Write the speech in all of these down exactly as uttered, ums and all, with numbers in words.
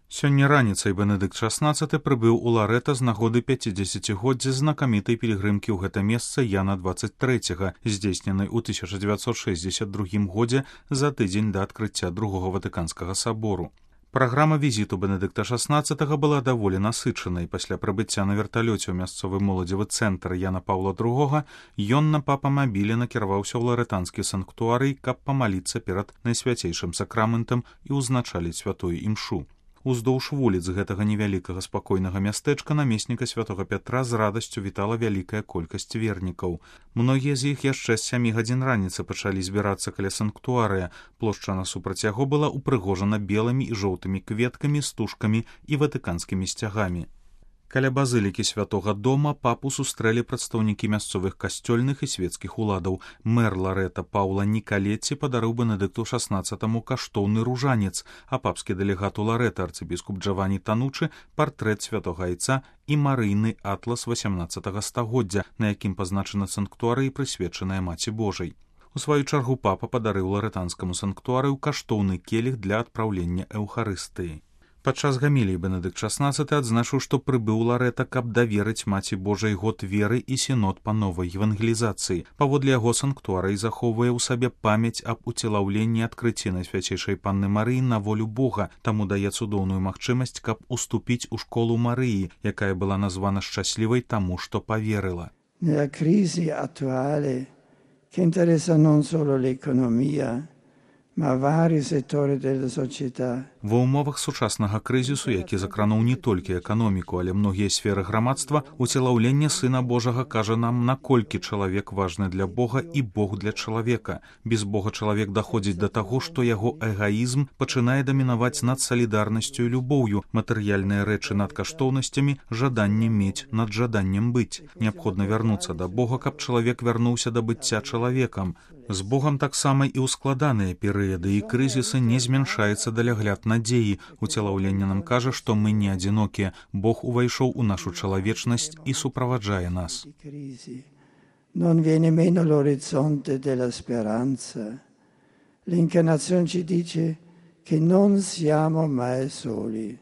Сёння раніцай Бенедыкт шаснаццаты прыбыў у Ларэта з нагоды пяцідзесяцігоддзя знакамітай пілігрымкі ў гэта месца Яна дваццаць трэцяга, здзейсненай у тысяча дзевяцьсот шэсцьдзесят другім годзе за тыдзень да адкрыцця другога Ватыканскага сабору. Праграма візіту Бенедыкта шаснаццатага была даволі насычанай. Пасля прыбыцця на верталёце ў мясцовы моладзевы цэнтр Яна Паўла другога ён на папамабілі накіраваўся ў ларэтанскі санктуарый, каб памаліцца перад найсвяцейшым сакраментам і ўзначаліць святую імшу. Уздоўж вуліц гэтага невялікага спакойнага мястэчка намесніка святога Пятра з радасцю вітала вялікая колькасць вернікаў. Многія з іх яшчэ з сямі гадзін раніцы пачалі збірацца каля санктуарыя. Плошча насупраць яго была ўпрыгожана белымі і жоўтымі кветкамі, стужкамі і ватыканскімі сцягамі. Каля базылікі святога дома папу сустрэлі прадстаўнікі мясцовых касцёльных і свецкіх уладаў. Мэр Ларэта Паўла Нікалетці падарыў Бенедыкту шаснаццатаму каштоўны ружанец, а папскі дэлегат у Ларэта арцыбіскуп Джавані Танучы партрэт святога айца і марыйны атлас васямнаццатага стагоддзя, на якім пазначана санктуарый, прысвечаная Маці Божай. У сваю чаргу папа падарыў ларэтанскаму санктуарыю каштоўны келіх для адпраўлення эўхарыстыі. Падчас гаміліі Бенедыкт шаснаццаты адзначыў, што прыбыў Ларэта, каб даверыць Маці Божай год веры і сінод па новай евангелізацыі. Паводле яго санктуарый захоўвае ў сабе памяць аб уцелаўленні адкрыцці Найсвяцейшай Панны Марыі на волю Бога, таму дае цудоўную магчымасць, каб уступіць у школу Марыі, якая была названа шчаслівай таму, што паверыла. Nella crisi attuale, che interessa non solo l'economia, ma vari settori della società. Ва ўмовах сучаснага крызісу, які закрануў не толькі эканоміку, але многія сферы грамадства, уцелаўленне Сына Божага кажа нам, наколькі чалавек важны для Бога і Бог для чалавека. Без Бога чалавек даходзіць да таго, што яго эгаізм пачынае дамінаваць над салідарнасцю і любоўю, матэрыяльныя рэчы над каштоўнасцямі, жаданне мець над жаданнем быць. Неабходна вярнуцца да Бога, каб чалавек вярнуўся да быцця чалавекам. З Богам таксама і ў складаныя перыяды і крызісы не змяншаецца далягляд надзеі. Уцелаўленне нам кажа, што мы не адзінокія. Бог увайшоў у нашу чалавечнасць і суправаджае нас. Non viene meno l'orizzonte della speranza. L'incarnazione ci dice che non siamo mai soli.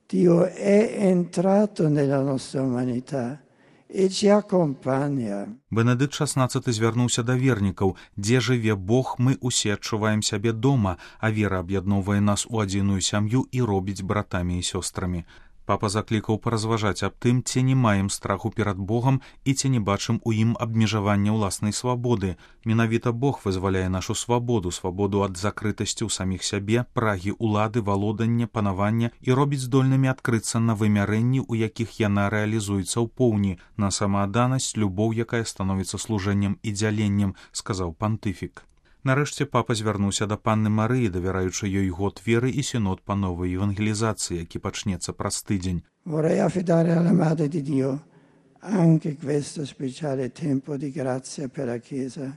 Dio è entrato nella nostra umanità. Бенедыкт шаснаццаты звярнуўся да вернікаў. Дзе жыве Бог, мы усе адчуваем сябе дома, а вера аб'ядноўвае нас у адзіную сям'ю і робіць братамі і сёстрамі. Папа заклікаў паразважаць аб тым, ці не маем страху перад Богам і ці не бачым у ім абмежавання ўласнай свабоды. Менавіта Бог вызваляе нашу свабоду, свабоду ад закрытасці ў саміх сябе, прагі улады, валодання, панавання і робіць здольнымі адкрыцца на вымярэнні, у якіх яна рэалізуецца ў поўні, на самаадданасць, любоў, якая становіцца служэннем і дзяленнем, сказаў пантыфік. Нарэшце папа звярнуўся да Панны Марыі, давяраючы ёй год веры і сінод па новай евангелізацыі, які пачнецца праз тыдзень. Vorrei affidare alla Madre di Dio anche questo speciale tempo di grazia per la Chiesa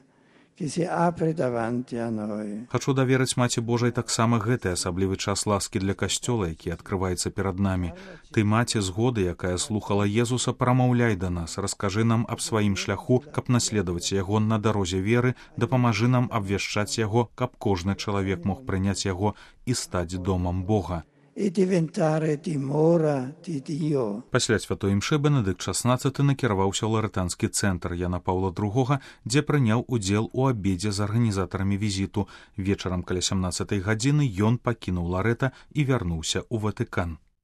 che si apre davanti a noi. Хачу даверыць Маці Божай таксама гэты асаблівы час ласкі для касцёла, які адкрываецца перад намі. Ты, Маці згоды, якая слухала Езуса, прамаўляй да нас, раскажы нам аб сваім шляху, каб наследаваць яго на дарозе веры, дапамажы нам абвяшчаць яго, каб кожны чалавек мог прыняць яго і стаць домам Бога. E diventare dimora di Dio. Пасля святой імшы Бенедыкт шаснаццаты накіраваўся ў ларэтанскі цэнтр Яна Паўла другога, дзе прыняў удзел у абедзе з арганізатарамі візіту. Вечарам каля сямнаццатай гадзіны ён пакінуў Ларэта і вярнуўся ў Ватыкан.